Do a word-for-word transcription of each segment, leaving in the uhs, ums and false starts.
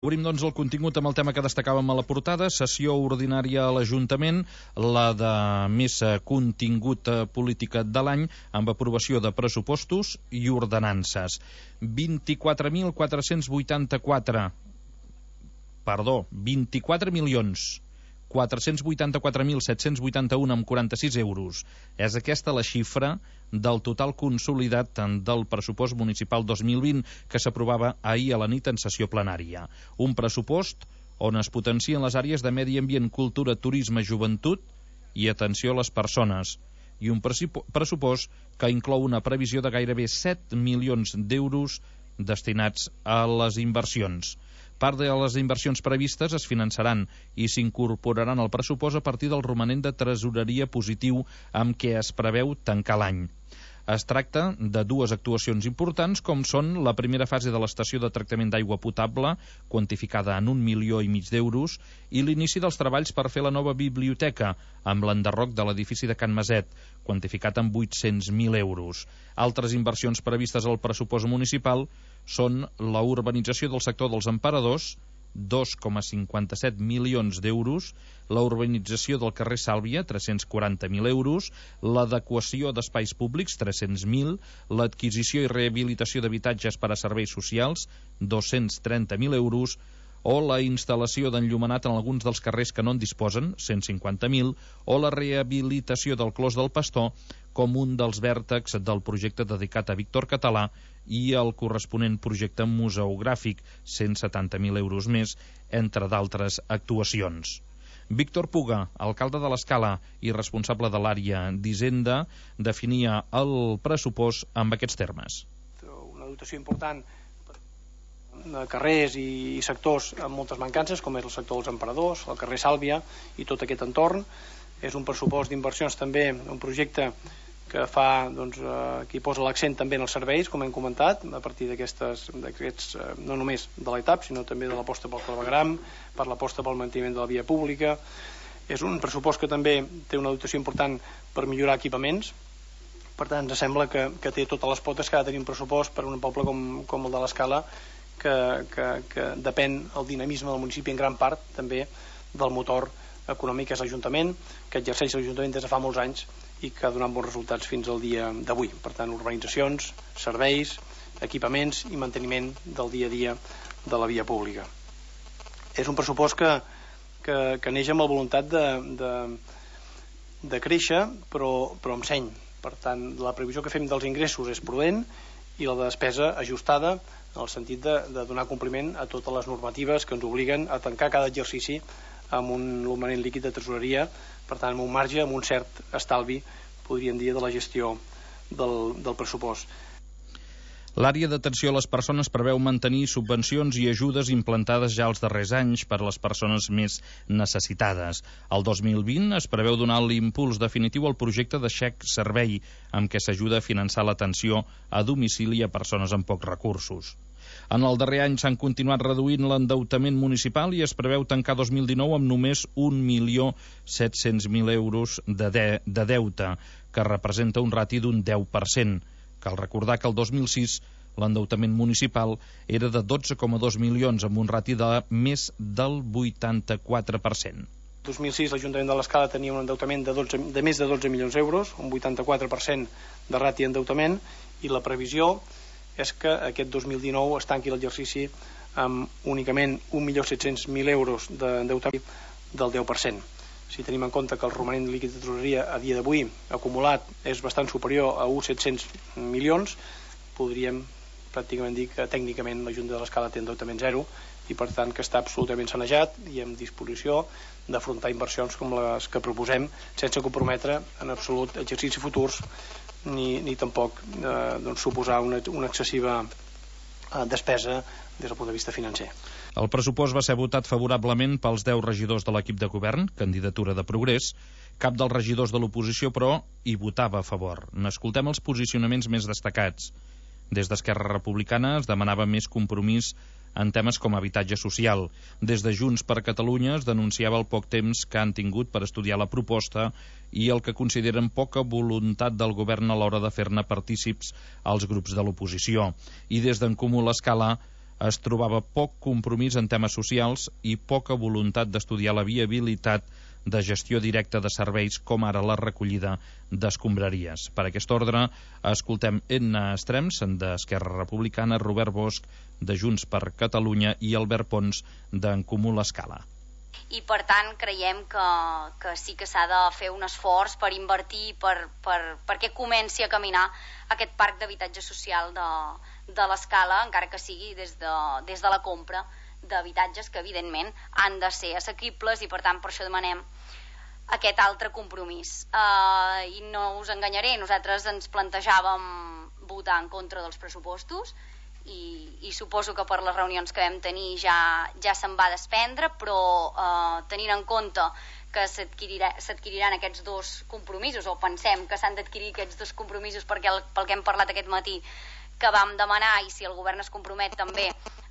Obrim, doncs, el contingut amb el tema que destacàvem a la portada, sessió ordinària a l'Ajuntament, la de més contingut política de l'any, amb aprovació de pressupostos i ordenances. vint-i-quatre mil quatre-cents vuitanta-quatre, perdó, vint-i-quatre milions quatre-cents vuitanta-quatre mil set-cents vuitanta-un amb quaranta-sis euros. És aquesta la xifra del total consolidat del pressupost municipal dos mil vint que s'aprovava ahir a la nit en sessió plenària. Un pressupost on es potencien les àrees de medi ambient, cultura, turisme, joventut i atenció a les persones. I un pressupost que inclou una previsió de gairebé set milions d'euros destinats a les inversions. Part de les inversions previstes es finançaran i s'incorporaran al pressupost a partir del romanent de tresoreria positiu amb què es preveu tancar l'any. Es tracta de dues actuacions importants, com són la primera fase de l'estació de tractament d'aigua potable, quantificada en un milió i mig d'euros, i l'inici dels treballs per fer la nova biblioteca, amb l'enderroc de l'edifici de Can Maset, quantificat en vuit-cents mil euros. Altres inversions previstes al pressupost municipal són la urbanització del sector dels Emperadors, dos coma cinquanta-set milions d'euros, la urbanització del carrer Sàlvia, tres-cents quaranta mil euros, l'adequació d'espais públics, tres-cents mil, l'adquisició i rehabilitació d'habitatges per a serveis socials, dos-cents trenta mil euros, o la instal·lació d'enllumenat en alguns dels carrers que no en disposen, cent cinquanta mil, o la rehabilitació del Clos del Pastor com un dels vèrtexs del projecte dedicat a Víctor Català i el corresponent projecte museogràfic, cent setanta mil euros més, entre d'altres actuacions. Víctor Puga, alcalde de l'Escala i responsable de l'àrea d'Hisenda, definia el pressupost amb aquests termes. Una dotació important de carrers i sectors amb moltes mancances, com és el sector dels Emperadors, el carrer Sàlvia i tot aquest entorn. És un pressupost d'inversions també, un projecte que fa, doncs, eh, que hi posa l'accent també en els serveis, com hem comentat, a partir d'aquestes, d'aquests, eh, no només de l'E T A P, sinó també de l'aposta pel clavegueram, per l'aposta pel manteniment de la via pública. És un pressupost que també té una dotació important per millorar equipaments. Per tant, ens sembla que, que té totes les potes que ha de tenir un pressupost per a un poble com, com el de l'Escala, que, que, que depèn el dinamisme del municipi en gran part també del motor econòmic que és l'Ajuntament, que exerceix l'Ajuntament des de fa molts anys i que ha donat bons resultats fins al dia d'avui. Per tant, urbanitzacions, serveis, equipaments i manteniment del dia a dia de la via pública. És un pressupost que, que, que neix amb la voluntat de, de, de créixer, però, però amb seny. Per tant, la previsió que fem dels ingressos és prudent i la despesa ajustada en el sentit de, de donar compliment a totes les normatives que ens obliguen a tancar cada exercici amb un romanent líquid de tresoreria, per tant amb un marge, amb un cert estalvi, podríem dir, de la gestió del, del pressupost. L'àrea d'atenció a les persones preveu mantenir subvencions i ajudes implantades ja els darrers anys per a les persones més necessitades. El dos mil vint es preveu donar l'impuls definitiu al projecte de xec servei, amb què s'ajuda a finançar l'atenció a domicili a persones amb pocs recursos. En el darrer any s'han continuat reduint l'endeutament municipal i es preveu tancar dos mil dinou amb només un milió set-cents mil euros de, de, de deute, que representa un rati d'un deu per cent. Cal recordar que el dos mil sis l'endeutament municipal era de dotze coma dos milions, amb un rati de més del vuitanta-quatre per cent. El dos mil sis l'Ajuntament de l'Escala tenia un endeutament de, dotze, de més de dotze milions d'euros, un vuitanta-quatre per cent de rati d'endeutament, i la previsió és que aquest dos mil dinou es tanqui l'exercici amb únicament un milió set-cents mil euros d'endeutament del deu per cent. Si tenim en compte que el romanent líquid de tresoreria a dia d'avui acumulat és bastant superior a uns set-cents milions, podríem pràcticament dir que tècnicament la Junta de l'Escala té endeutament zero i per tant que està absolutament sanejat i en disposició d'afrontar inversions com les que proposem sense comprometre en absolut exercicis futurs ni, ni tampoc eh, doncs, suposar una, una excessiva eh, despesa des del punt de vista financer. El pressupost va ser votat favorablement pels deu regidors de l'equip de govern, candidatura de Progrés. Cap dels regidors de l'oposició, però, hi votava a favor. N'escoltem els posicionaments més destacats. Des d'Esquerra Republicana es demanava més compromís en temes com habitatge social. Des de Junts per Catalunya es denunciava el poc temps que han tingut per estudiar la proposta i el que consideren poca voluntat del govern a l'hora de fer-ne partícips als grups de l'oposició. I des d'en Comú l'Escala es trobava poc compromís en temes socials i poca voluntat d'estudiar la viabilitat de gestió directa de serveis com ara la recollida d'escombraries. Per aquest ordre, escoltem Edna Estrems, d'Esquerra Republicana, Robert Bosch, de Junts per Catalunya, i Albert Pons, d'En Comú l'Escala. I per tant creiem que, que sí que s'ha de fer un esforç per invertir, per, per, perquè comenci a caminar aquest parc d'habitatge social de, de l'Escala, encara que sigui des de, des de la compra d'habitatges que evidentment han de ser assequibles, i per tant per això demanem aquest altre compromís. Uh, i no us enganyaré, nosaltres ens plantejàvem votar en contra dels pressupostos, i, i suposo que per les reunions que vam tenir ja, ja se'n va desprendre, però uh, tenint en compte que s'adquiriran aquests dos compromisos, o pensem que s'han d'adquirir aquests dos compromisos perquè el, pel que hem parlat aquest matí, que vam demanar, i si el govern es compromet també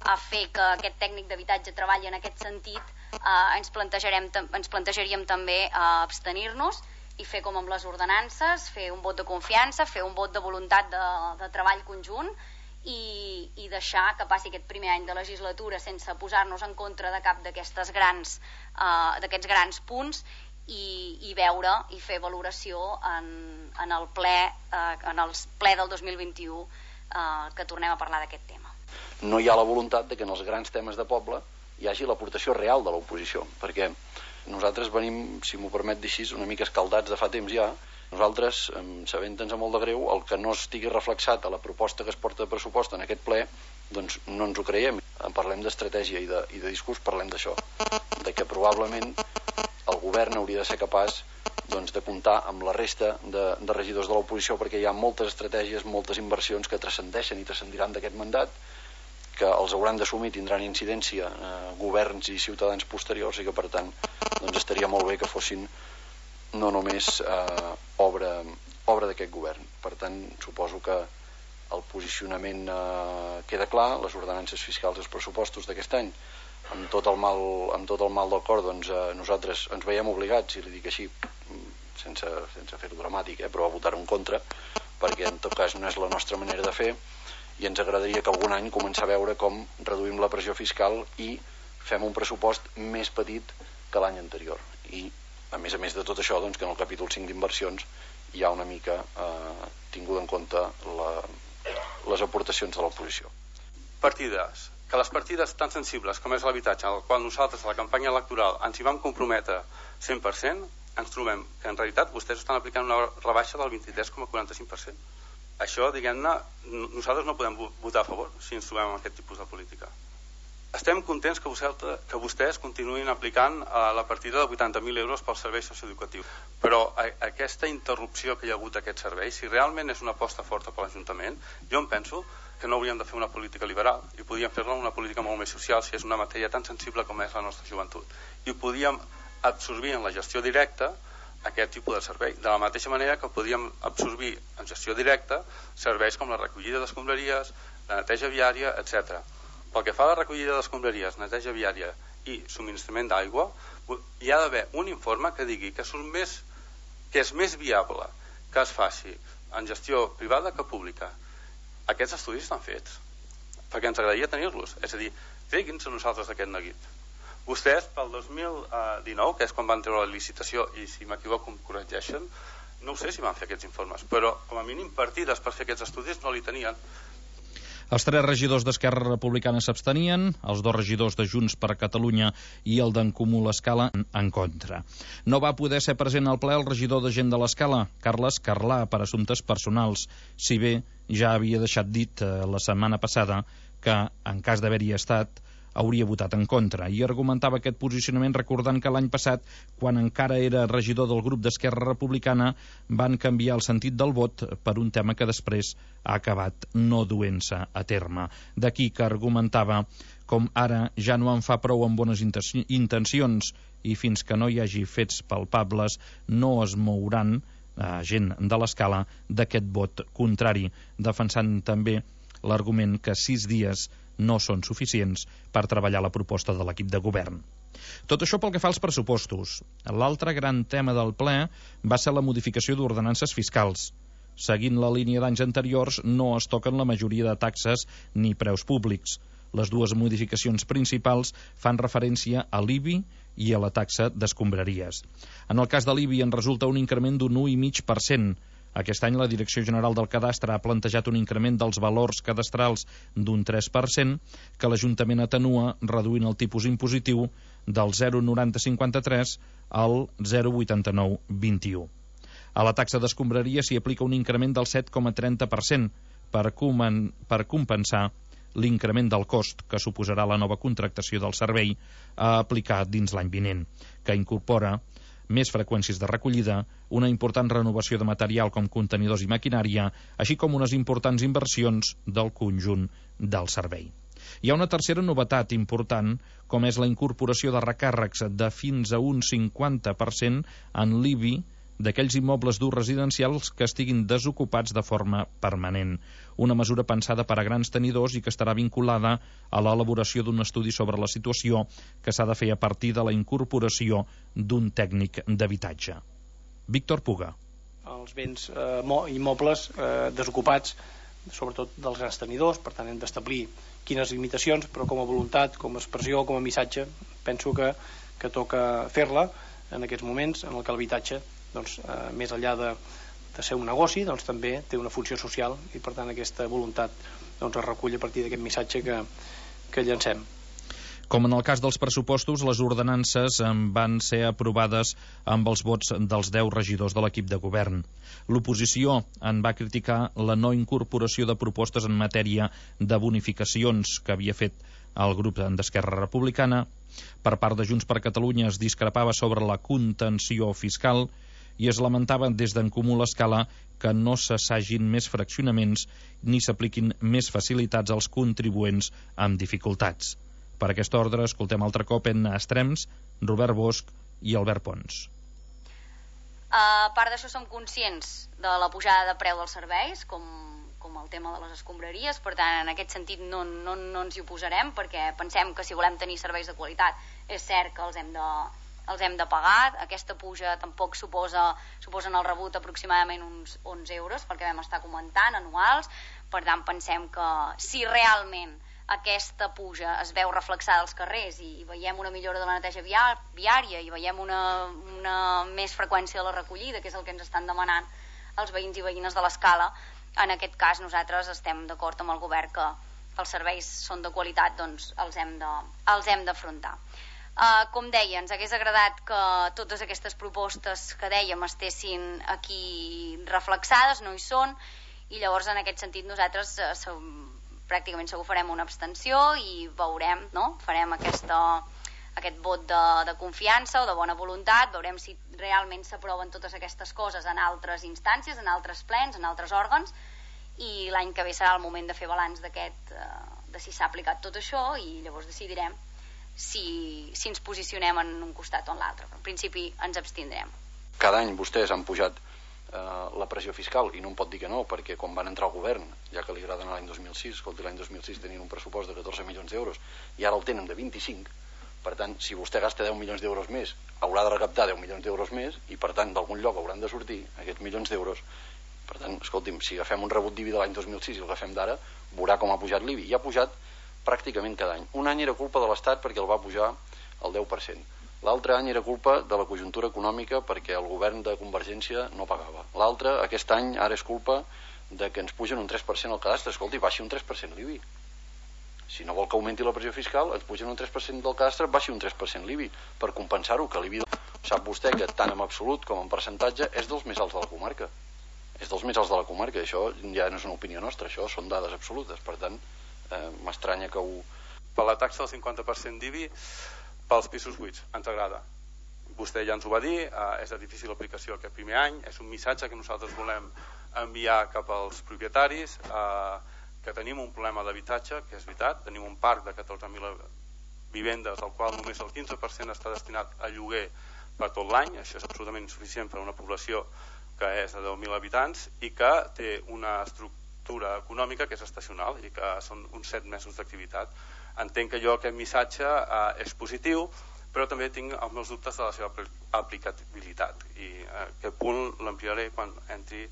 a fer que aquest tècnic d'habitatge treballi en aquest sentit, eh, ens, plantejarem, ens plantejaríem també eh, abstenir-nos i fer com amb les ordenances, fer un vot de confiança, fer un vot de voluntat de, de treball conjunt, i, i deixar que passi aquest primer any de legislatura sense posar-nos en contra de cap d'aquestes grans, eh, d'aquests grans punts, i, i veure i fer valoració en, en el ple, eh, en el ple del dos mil vint-i-u, Uh, que tornem a parlar d'aquest tema. No hi ha la voluntat de que en els grans temes de poble hi hagi l'aportació real de l'oposició, perquè nosaltres venim, si m'ho permet dir així, una mica escaldats de fa temps ja. Nosaltres, sabent-nos molt de greu, el que no estigui reflexat a la proposta que es porta de pressupost en aquest ple, doncs no ens ho creiem. En parlem d'estratègia i de, i de discurs, parlem d'això, de que probablement el govern hauria de ser capaç doncs, de comptar amb la resta de, de regidors de l'oposició, perquè hi ha moltes estratègies, moltes inversions que transcendeixen i transcendiran d'aquest mandat, que els hauran d'assumir, tindran incidència eh, governs i ciutadans posteriors, i que per tant doncs, estaria molt bé que fossin no només eh, obra, obra d'aquest govern. Per tant, suposo que el posicionament eh, queda clar, les ordenances fiscals i els pressupostos d'aquest any, amb tot el mal, amb tot el mal del cor, doncs eh, nosaltres ens veiem obligats, si li dic així, sense, sense fer-ho dramàtic, eh, però a votar en contra, perquè en tot cas no és la nostra manera de fer, i ens agradaria que algun any començar a veure com reduïm la pressió fiscal i fem un pressupost més petit que l'any anterior. I a més a més de tot això, doncs, que en el capítol cinc d'inversions hi ha una mica eh, tingut en compte la, les aportacions de l'oposició. Partides. Que les partides tan sensibles com és l'habitatge, al qual nosaltres a la campanya electoral ens hi vam comprometre cent per cent, ens trobem que en realitat vostès estan aplicant una rebaixa del vint-i-tres coma quaranta-cinc per cent. Això, diguem-ne, nosaltres no podem votar a favor si ens trobem amb aquest tipus de política. Estem contents que vostès, que vostès continuïn aplicant uh, la partida de vuitanta mil euros pels serveis socioeducatius, però a, aquesta interrupció que hi ha hagut d'aquests serveis, si realment és una aposta forta per l'Ajuntament, jo em penso que no hauríem de fer una política liberal i podríem fer-la una política molt més social si és una matèria tan sensible com és la nostra joventut, i podríem absorbir en la gestió directa aquest tipus de servei, de la mateixa manera que podríem absorbir en gestió directa serveis com la recollida d'escombraries, la neteja viària, etcètera. Pel que fa a la recollida d'escombraries, neteja viària i subministrament d'aigua, hi ha d'haver un informe que digui que, més, que és més viable que es faci en gestió privada que pública. Aquests estudis estan fets, perquè ens agradaria tenir-los. És a dir, tregui'ns a nosaltres d'aquest neguit. Vostès, pel dos mil dinou, que és quan van treure la licitació, i si m'equivoco em corregeixen, no sé si van fer aquests informes, però com a mínim partides per fer aquests estudis no li tenien. Els tres regidors d'Esquerra Republicana s'abstenien, els dos regidors de Junts per Catalunya i el d'En Comú l'Escala en contra. No va poder ser present al ple el regidor de Gent de l'Escala, Carles Carlà, per assumptes personals, si bé ja havia deixat dit eh, la setmana passada que, en cas d'haver-hi estat, hauria votat en contra, i argumentava aquest posicionament recordant que l'any passat, quan encara era regidor del grup d'Esquerra Republicana, van canviar el sentit del vot per un tema que després ha acabat no duent-se a terme. D'aquí que argumentava com ara ja no en fa prou amb bones intencions i fins que no hi hagi fets palpables no es mouran eh, gent de l'Escala d'aquest vot contrari, defensant també l'argument que sis dies no són suficients per treballar la proposta de l'equip de govern. Tot això pel que fa als pressupostos. L'altre gran tema del ple va ser la modificació d'ordenances fiscals. Seguint la línia d'anys anteriors, no es toquen la majoria de taxes ni preus públics. Les dues modificacions principals fan referència a l'I B I i a la taxa d'escombraries. En el cas de l'I B I en resulta un increment d'un u coma cinc per cent. Aquest any la Direcció General del Cadastre ha plantejat un increment dels valors cadastrals d'un tres per cent que l'Ajuntament atenua reduint el tipus impositiu del zero coma noranta cinquanta-tres al zero coma vuitanta-nou vint u. A la taxa d'escombraria s'hi aplica un increment del set coma trenta per cent per, per compensar l'increment del cost que suposarà la nova contractació del servei a aplicar dins l'any vinent, que incorpora més freqüències de recollida, una important renovació de material com contenidors i maquinària, així com unes importants inversions del conjunt del servei. Hi ha una tercera novetat important, com és la incorporació de recàrrecs de fins a un cinquanta per cent en l'I B I d'aquells immobles d'ús residencials que estiguin desocupats de forma permanent. Una mesura pensada per a grans tenidors i que estarà vinculada a l'elaboració d'un estudi sobre la situació que s'ha de fer a partir de la incorporació d'un tècnic d'habitatge. Víctor Puga. Els béns eh, immobles eh, desocupats, sobretot dels grans tenidors, per tant hem d'establir quines limitacions, però com a voluntat, com a expressió, com a missatge, penso que, que toca fer-la en aquests moments en el que l'habitatge doncs, eh, més enllà de, de ser un negoci, doncs també té una funció social i per tant aquesta voluntat doncs, es recull a partir d'aquest missatge que, que llancem. Com en el cas dels pressupostos, les ordenances van ser aprovades amb els vots dels deu regidors de l'equip de govern. L'oposició en va criticar la no incorporació de propostes en matèria de bonificacions que havia fet el grup d'Esquerra Republicana. Per part de Junts per Catalunya es discrepava sobre la contenció fiscal i es lamentava des d'en Comú l'Escala que no s'assagin més fraccionaments ni s'apliquin més facilitats als contribuents amb dificultats. Per aquest ordre, escoltem altre cop en Estrems, Robert Bosch i Albert Pons. A part d'això, som conscients de la pujada de preu dels serveis, com, com el tema de les escombraries, per tant, en aquest sentit no, no, no ens hi oposarem, perquè pensem que si volem tenir serveis de qualitat és cert que els hem de, els hem de pagar. Aquesta puja tampoc suposa, suposen el rebut aproximadament uns onze euros, perquè vam estar comentant, anuals. Per tant, pensem que si realment aquesta puja es veu reflexada als carrers i veiem una millora de la neteja viària i veiem una, una més freqüència de la recollida, que és el que ens estan demanant els veïns i veïnes de l'Escala, en aquest cas nosaltres estem d'acord amb el govern que els serveis són de qualitat, doncs els hem de, els hem d'afrontar. Uh, com deia, ens hagués agradat que totes aquestes propostes que dèiem estessin aquí reflexades, no hi són, i llavors en aquest sentit nosaltres uh, som pràcticament segur farem una abstenció i veurem, no? Farem aquesta, aquest vot de, de confiança o de bona voluntat, veurem si realment s'aproven totes aquestes coses en altres instàncies, en altres plens, en altres òrgans, i l'any que ve serà el moment de fer balanç d'aquest, de si s'ha aplicat tot això, i llavors decidirem si, si ens posicionem en un costat o en l'altre. En principi ens abstindrem. Cada any vostès han pujat la pressió fiscal i no em pot dir que no, perquè quan van entrar al govern, ja que li agrada l'any dos mil sis, escolti, l'any dos mil sis tenien un pressupost de catorze milions d'euros i ara el tenen de vint-i-cinc. Per tant, si vostè gasta deu milions d'euros més, haurà de recaptar deu milions d'euros més i per tant d'algun lloc hauran de sortir aquests milions d'euros. Per tant, escolti'm, si agafem un rebut d'I B I de l'any dos mil sis i el agafem d'ara, veurà com ha pujat l'I B I, i ha pujat pràcticament cada any. Un any era culpa de l'Estat perquè el va pujar al deu per cent. L'altre any era culpa de la conjuntura econòmica perquè el govern de Convergència no pagava. L'altre, aquest any, ara és culpa de que ens pugen un tres per cent al cadastre. Escolti, baixi un tres per cent l'I B I. Si no vol que augmenti la pressió fiscal, ens pugen un tres per cent del cadastre, baixi un tres per cent l'I B I, per compensar-ho, que l'I B I, sap vostè que tant en absolut com en percentatge és dels més alts de la comarca. És dels més alts de la comarca, això ja no és una opinió nostra, això són dades absolutes. Per tant, eh, m'estranya que ho... Per la taxa del cinquanta per cent d'I B I, pels pisos buits, ens agrada. Vostè ja ens ho va dir, eh, és de difícil aplicació aquest primer any, és un missatge que nosaltres volem enviar cap als propietaris, eh, que tenim un problema d'habitatge, que és veritat, tenim un parc de catorze mil vivendes, del qual només el quinze per cent està destinat a lloguer per tot l'any, això és absolutament insuficient per a una població que és de deu mil habitants i que té una estructura econòmica que és estacional i que són uns set mesos d'activitat. Entenc que jo aquest missatge eh, és positiu, però també tinc els meus dubtes de la seva aplicabilitat i eh, aquest punt l'ampliaré quan entri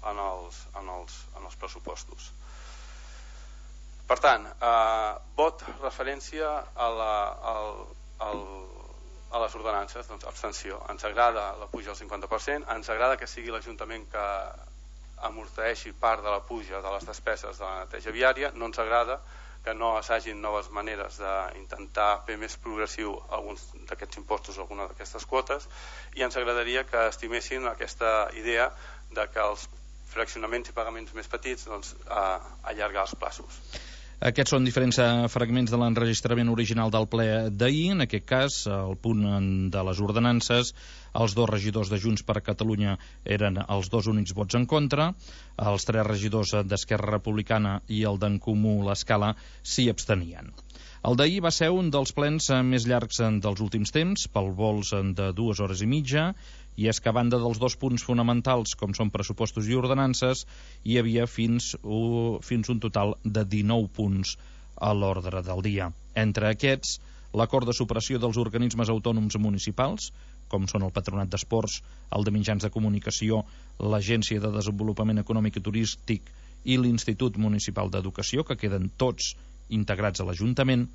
en els, en els, en els pressupostos. Per tant, eh, vot referència a, la, al, al, a les ordenances, doncs abstenció. Ens agrada la puja al cinquanta per cent, ens agrada que sigui l'Ajuntament que amorteixi part de la puja de les despeses de la neteja viària, no ens agrada que no s'hagin noves maneres d'intentar fer més progressiu alguns d'aquests impostos, alguna d'aquestes quotes, i ens agradaria que estimessin aquesta idea de que els fraccionaments i pagaments més petits doncs, a, allargar els plaços. Aquests són diferents fragments de l'enregistrament original del ple d'ahir. En aquest cas, el punt de les ordenances, els dos regidors de Junts per Catalunya eren els dos únics vots en contra, els tres regidors d'Esquerra Republicana i el d'en Comú l'Escala s'hi abstenien. El d'ahir va ser un dels plens més llargs dels últims temps, pel vols de dues hores i mitja, i és que a banda dels dos punts fonamentals, com són pressupostos i ordenances, hi havia fins, uh, fins un total de dinou punts a l'ordre del dia. Entre aquests, l'acord de supressió dels organismes autònoms municipals, com són el Patronat d'Esports, el de Mitjans de Comunicació, l'Agència de Desenvolupament Econòmic i Turístic i l'Institut Municipal d'Educació, que queden tots integrats a l'Ajuntament,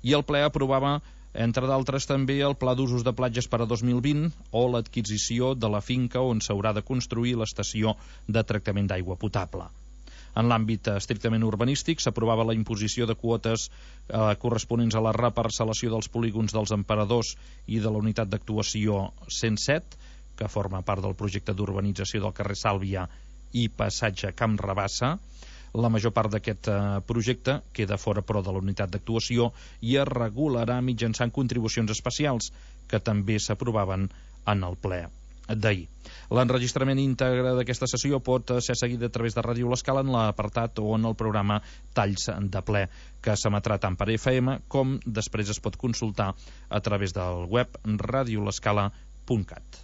i el ple aprovava, entre d'altres, també el Pla d'Usos de Platges per a dos mil vint o l'adquisició de la finca on s'haurà de construir l'estació de tractament d'aigua potable. En l'àmbit estrictament urbanístic s'aprovava la imposició de quotes eh, corresponents a la reparcel·lació dels polígons dels Emperadors i de la unitat d'actuació cent set, que forma part del projecte d'urbanització del carrer Sàlvia i passatge Camp Rabassa. La major part d'aquest eh, projecte queda fora, però, de la unitat d'actuació i es regularà mitjançant contribucions especials que també s'aprovaven en el ple d'ahir. L'enregistrament íntegre d'aquesta sessió pot ser seguit a través de Ràdio L'Escala en l'apartat o en el programa Talls de ple, que s'emetrà tant per F M com després es pot consultar a través del web radiolescala punt cat.